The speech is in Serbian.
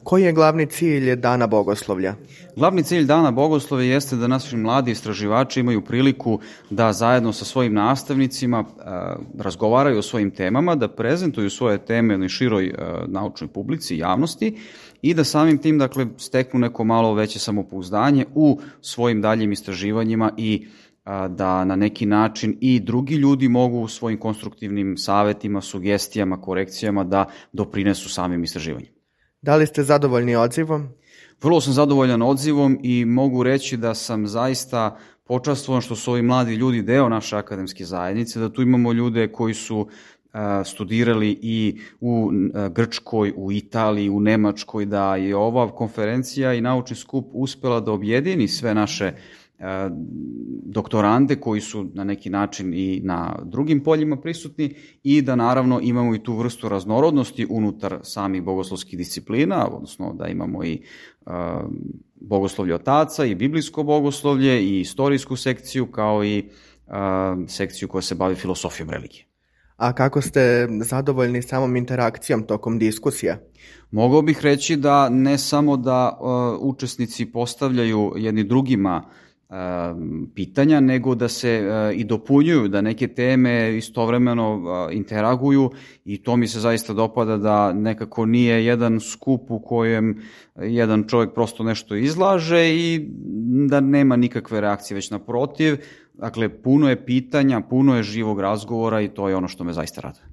Koji je glavni cilj Dana bogoslovlja? Glavni cilj Dana bogoslovlja jeste da naši mladi istraživači imaju priliku da zajedno sa svojim nastavnicima razgovaraju o svojim temama, da prezentuju svoje teme na široj naučnoj publici i javnosti i da samim tim, dakle, steknu neko malo veće samopouzdanje u svojim daljim istraživanjima i da na neki način i drugi ljudi mogu svojim konstruktivnim savetima, sugestijama, korekcijama da doprinesu samim istraživanjima. Da li ste zadovoljni odzivom? Vrlo sam zadovoljan odzivom i mogu reći da sam zaista počastvovan što su ovi mladi ljudi deo naše akademske zajednice, da tu imamo ljude koji su studirali i u Grčkoj, u Italiji, u Nemačkoj, da je ova konferencija i naučni skup uspela da objedini sve naše doktorande koji su na neki način i na drugim poljima prisutni i da naravno imamo i tu vrstu raznorodnosti unutar samih bogoslovskih disciplina, odnosno da imamo i bogoslovlje otaca i biblijsko bogoslovlje i istorijsku sekciju kao i sekciju koja se bavi filosofijom religije. A kako ste zadovoljni samom interakcijom tokom diskusija? Mogao bih reći da ne samo da učesnici postavljaju jedni drugima pitanja, nego da se i dopunjuju, da neke teme istovremeno interaguju i to mi se zaista dopada, da nekako nije jedan skup u kojem jedan čovjek prosto nešto izlaže i da nema nikakve reakcije, već naprotiv. Dakle, puno je pitanja, puno je živog razgovora i to je ono što me zaista raduje.